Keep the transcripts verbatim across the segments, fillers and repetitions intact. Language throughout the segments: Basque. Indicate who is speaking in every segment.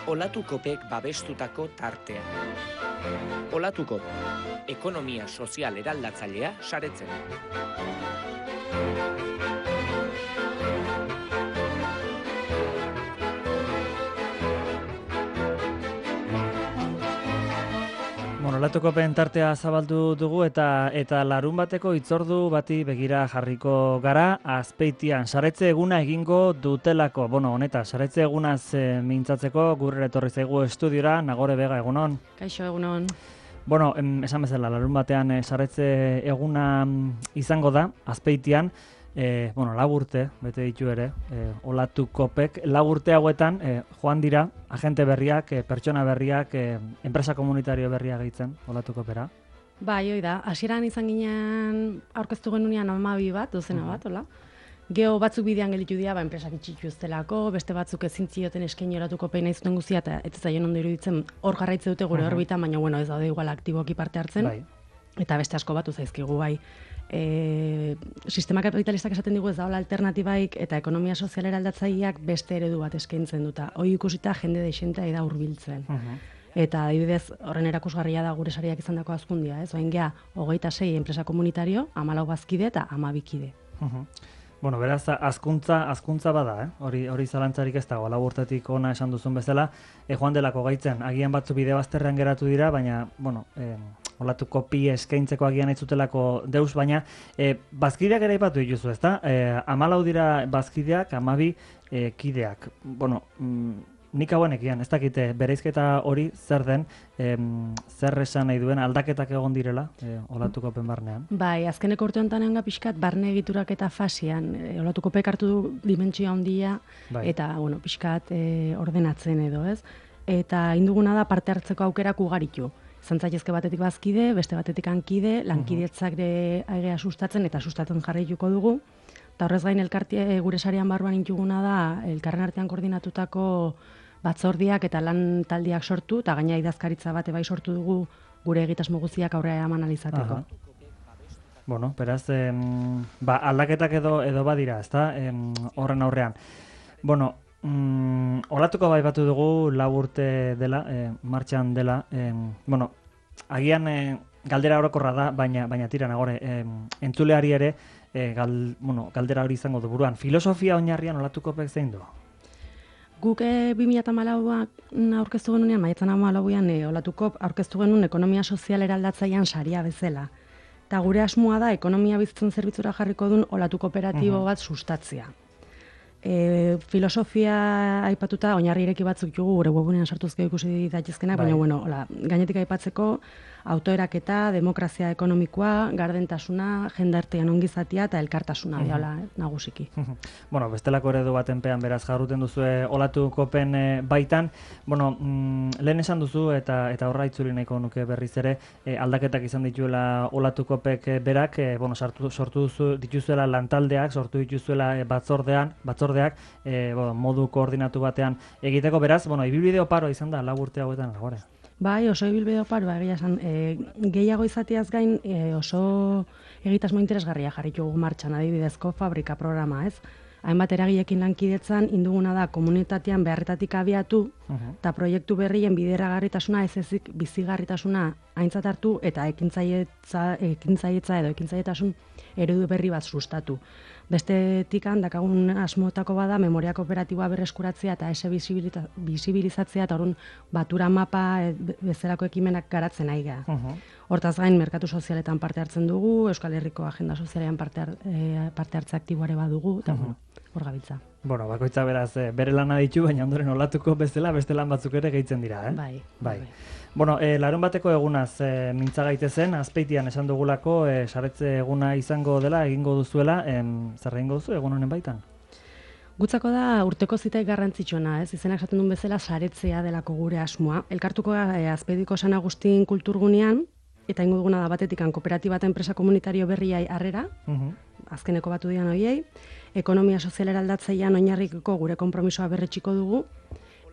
Speaker 1: Olatukopek babestutako tartea. Olatukop, ekonomia sozial eraldatzailea saretzen.
Speaker 2: Bueno, Olatukopen tartea zabaldu dugu eta eta larun bateko hitzordu bati begira jarriko gara, Azpeitian saretze eguna egingo dutelako. Bueno, honeta, saretze egunaz e, mintzatzeko gurre etorri zaigu estudiora, Nagore Bega, egunon.
Speaker 3: Kaixo, egunon.
Speaker 2: Bueno, em, esan bezala, larun batean e, saretze eguna izango da, Azpeitian. E, bueno, lau urte, bete ditu ere, e, Olatukopek, lau urte hauetan e, joan dira, agente berriak, e, pertsona berriak, e, enpresa komunitario berriak gehitzen, Olatukopera.
Speaker 3: Bai, hoi da, hasieran izan ginen aurkeztu genunean hamabi bat, dozena bat, hola. Geo batzuk bidean gelditu dira, ba, enpresak itxitu uztelako, beste batzuk ezin zioten eskaini Olatukopen nahi zuten guztia, eta ez zaion ondo iruditzen hor jarraitze dute gure orbitan, baina bueno, ez daude igual aktiboki parte hartzen,
Speaker 2: Bai.
Speaker 3: eta beste asko batu zaizkigu bai. E, sistema kapitalistak esaten digu ez daola alternatibaik eta ekonomia sozial eraldatzaileak beste eredu bat eskaintzen duta. Hoi ikusita jende deixentea da hurbiltzen. Eta adibidez horren erakusgarria da gure sariak izandako hazkundia, ez? Orain gea hogeita sei enpresa komunitario, hamalau bazkide eta hamabi kide.
Speaker 2: Bueno, beraz, hazkuntza, hazkuntza bada, eh? Hori, hori zalantzarik ez dago, lau urtetik ona esan duzun bezala, e, joan delako gaitzen, agian batzu bide bazterrean geratu dira, baina, bueno, eh, Olatukopi eskaintzeko agian ez zutelako deus, baina e, bazkideak ere aipatu dituzu, ezta? E, hamalau dira bazkideak, hamabi e, kideak. Bueno, mm, nik hauenekian, ez dakite, bereizketa hori zer den, em, zer esan nahi duen aldaketak egon direla, e, Olatukopen barnean.
Speaker 3: Bai, azkeneko urte honetan egon pixkat barne egiturak eta fasian, e, Olatukopek hartu du dimentsioa handia,
Speaker 2: Bai.
Speaker 3: eta, bueno, pixkat e, ordenatzen edo, ez? Eta induguna da parte hartzeko aukerak ugaritu. Zantzaitezke batetik bazkide, beste batetik hankide, lankidetzak de aigea sustatzen eta sustatzen jarraituko dugu. Eta horrez gain elkartie gure sarian barruan intuguna da elkarren artean koordinatutako batzordiak eta lan taldiak sortu, eta gaina idazkaritza bate bai sortu dugu gure egitasmo guztiak aurrera eman alizateko.
Speaker 2: Bueno, beraz, em, ba, aldaketak edo edo badira, ezta? Em, horren aurrean. Bueno, Mm, Olatuko bai batu dugu lau urte dela, e, martxan dela, e, bueno, agian e, galdera orokorra da, baina baina tira Nagore, e, entzuleari ere e, gal, bueno, galdera hori izango du buruan. Filosofia oinarrian Olatukopek zein du?
Speaker 3: Guk e, bi mila hamalauan aurkeztu genunean, maiatzan hamalauan e, Olatukop aurkeztu genuen ekonomia sozial eraldatzailean saria bezala. Eta gure asmoa da ekonomia bizitzen zerbitzura jarriko duen Olatu kooperatibo bat sustatzea. E, filosofia aipatuta oinarri ireki batzuk jugu gure webunean sartuzke ikusi daitezkenak, baina bueno, hola, gainetik aipatzeko autoeraketa, demokrazia ekonomikoa, gardentasuna, jendartean ongizatia eta elkartasuna uh-huh. dela nagusiki.
Speaker 2: Bueno, bestelako eredu batenpean beraz jarruten duzue Olatukopen e, baitan. Bueno, mm, lehen esan duzu eta eta horra itzuli nahiko nuke berriz ere e, aldaketak izan dituela Olatukopek e, berak, e, bueno, sartu, sortu duzu, dituzuela lantaldeak, sortu dituzuela e, batzordean, batzordeak e, bueno, modu koordinatu batean egiteko beraz, bueno, ibilbide oparo izan da lau urte hauetan agora.
Speaker 3: Bai, oso ibilbide oparo, egia esan, e, gehiago izatiaz gain e, oso egitasmo interesgarria jarritu martxan, adibidezko fabrika programa, ez? Hainbat eragileekin lankidetzan induguna da komunitatean beharretatik abiatu eta uh-huh. proiektu berrien bideragarritasuna ez ezik bizigarritasuna aintzat hartu eta ekintzailetza, ekintzailetza edo ekintzaietasun eredu berri bat sustatu. Bestetik dakagun asmoetako bada memoria kooperatiboa berreskuratzea eta ese bisibilizatzea eta orrun batura mapa e, bezalako ekimenak garatzen nahi gara. Uh-huh. Hortaz gain merkatu sozialetan parte hartzen dugu, Euskal Herriko agenda sozialean parte, har, e, parte hartze aktiboare badugu eta uh-huh. bueno, hor gabiltza.
Speaker 2: Bueno, bakoitza beraz e, bere lana ditu, baina ondoren Olatuko bezala beste lan batzuk ere gehitzen dira, eh?
Speaker 3: Bai.
Speaker 2: Bai. bai. Bueno, e, larun bateko egunaz e, mintza gaitezen, Azpeitian esan dugulako, e, saretze eguna izango dela, egingo duzuela, em, zer egingo duzu egun honen baitan?
Speaker 3: Gutzako da urteko zitaik garrantzitsuena, ez? Izenak esaten duen bezala saretzea delako gure asmoa. Elkartuko e, Azpeitiko San Agustin kulturgunean, eta ingo duguna da batetikan kooperatiba eta enpresa komunitario berriai harrera, uh-huh. azkeneko batu dian hoiei, ekonomia sozial eraldatzailean oinarriko gure konpromisoa berretxiko dugu,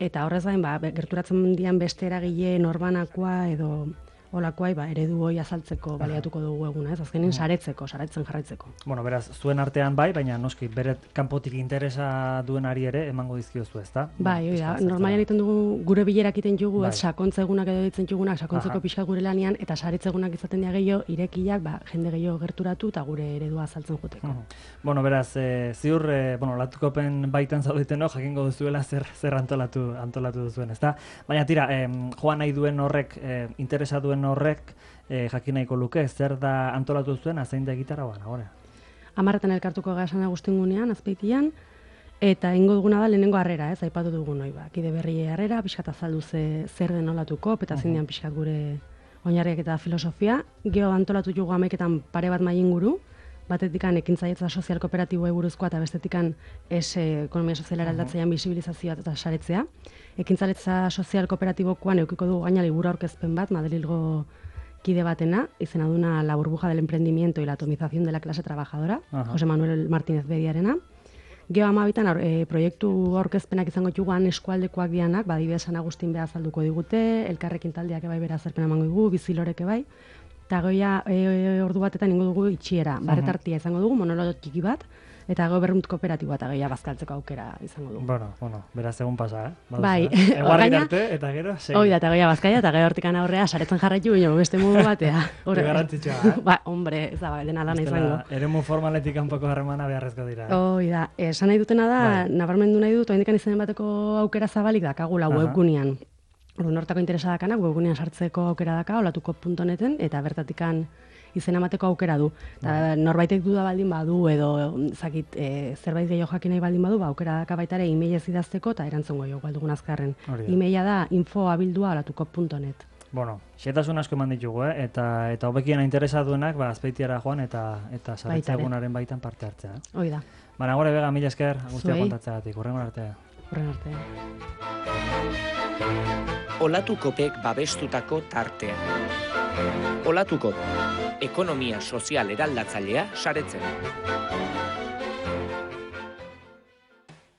Speaker 3: eta horrez gain, ba, gerturatzen dian beste eragile norbanakoa edo olakoai ba, eredu hori azaltzeko baliatuko dugu eguna, ez? Azkenin saretzeko, saretzen jarraitzeko.
Speaker 2: Bueno, beraz, zuen artean bai, baina noski, bere kanpotik interesa duenari ere emango dizkiozu, ezta?
Speaker 3: Bai, hori da, normalian egiten dugu gure bilerak egiten dugu,
Speaker 2: bai.
Speaker 3: ez, sakontza egunak edo ditzen dugunak, sakontzeko pixka gure lanian, eta saretze egunak izaten dira gehiago, irekiak, ba, jende gehiago gerturatu eta gure eredua azaltzen joteko.
Speaker 2: Uh -huh. Bueno, beraz, e, ziur, e, bueno, Olatukopen baitan zaudeteno, jakingo duzuela zer, zer antolatu, antolatu duzuen, ezta? Baina tira, e, joan nahi duen horrek, e, interesa duen horrek, e, jakin nahiko luke, zer da antolatu zuen, azein da gitarra bana, gore?
Speaker 3: Amarretan elkartuko gasan agustingunean, azpeitian, eta ingo duguna da lehenengo harrera, ez, aipatu dugun hoi, ba, kide berri harrera, pixkat azaldu ze, zer den Olatuko, eta zein dian pixkat gure oinarriak eta filosofia. Gero antolatu jugu amaiketan pare bat mai inguru, batetikan ekintzailetza sozial kooperatiboa buruzkoa eta bestetikan es ekonomia soziala aldatzailean bisibilizazioa eta saretzea. Ekintzaletza sozial kooperatibokoan edukiko dugu gaina liburu aurkezpen bat, Madrilgo kide batena, izena duna La burbuja del emprendimiento y la atomización de la clase trabajadora, Aha. Jose Manuel Martínez Bediarena. Geo amabitan e, proiektu aurkezpenak izango dituguan eskualdekoak dianak, badibidez San Agustin beha azalduko digute, elkarrekin taldeak bai bera azalpena emango dugu, biziloreke bai, eta goia e, ordu batetan ingo dugu itxiera, barretartia izango dugu, monologo txiki bat, eta gero berrunt kooperatiboa eta gehiago bazkaltzeko aukera izango dugu.
Speaker 2: Bueno, bueno, beraz egun pasa, eh? Baduzu,
Speaker 3: bai.
Speaker 2: Eh? Eguarri arte, eta gero, segi.
Speaker 3: Hoi da, eta gehiago bazkaia, eta gero hortikan aurrea, saretzen jarraitu bino, beste modu batea.
Speaker 2: Garrantzitsua, eh?
Speaker 3: Ba, hombre, ez da, dena lana izango.
Speaker 2: Eremu formaletik kanpoko harremana beharrezko dira. Eh?
Speaker 3: Hoi da, esan nahi dutena da, bai. Nabarmendu nahi dut, oindikan izanen bateko aukera zabalik dakagula webgunean. Orduan hortako interesa dakanak, webgunean sartzeko aukera daka, olatuko puntu neten, eta bertatikan izena emateko aukera du. Ta, norbaitek duda baldin badu edo zakit, e, zerbait gehiago jakin nahi baldin badu, ba, aukera daka baita ere e-mailez idazteko eta erantzungo jo galdugun azkarren. E-maila da info abildua olatuko puntu net.
Speaker 2: Bueno, xetasun asko eman ditugu, eh? eta eta hobekiena interesa duenak, ba, azpeitiara joan eta eta saretza egunaren baitan parte hartzea. Eh?
Speaker 3: Hoi da.
Speaker 2: Baina gore bega, mila esker, guztia kontatzeagatik, hurrengo arte.
Speaker 3: Hurrengo arte.
Speaker 1: Olatukopek babestutako tartea. Olatukop, ekonomia sozial eraldatzailea saretzen.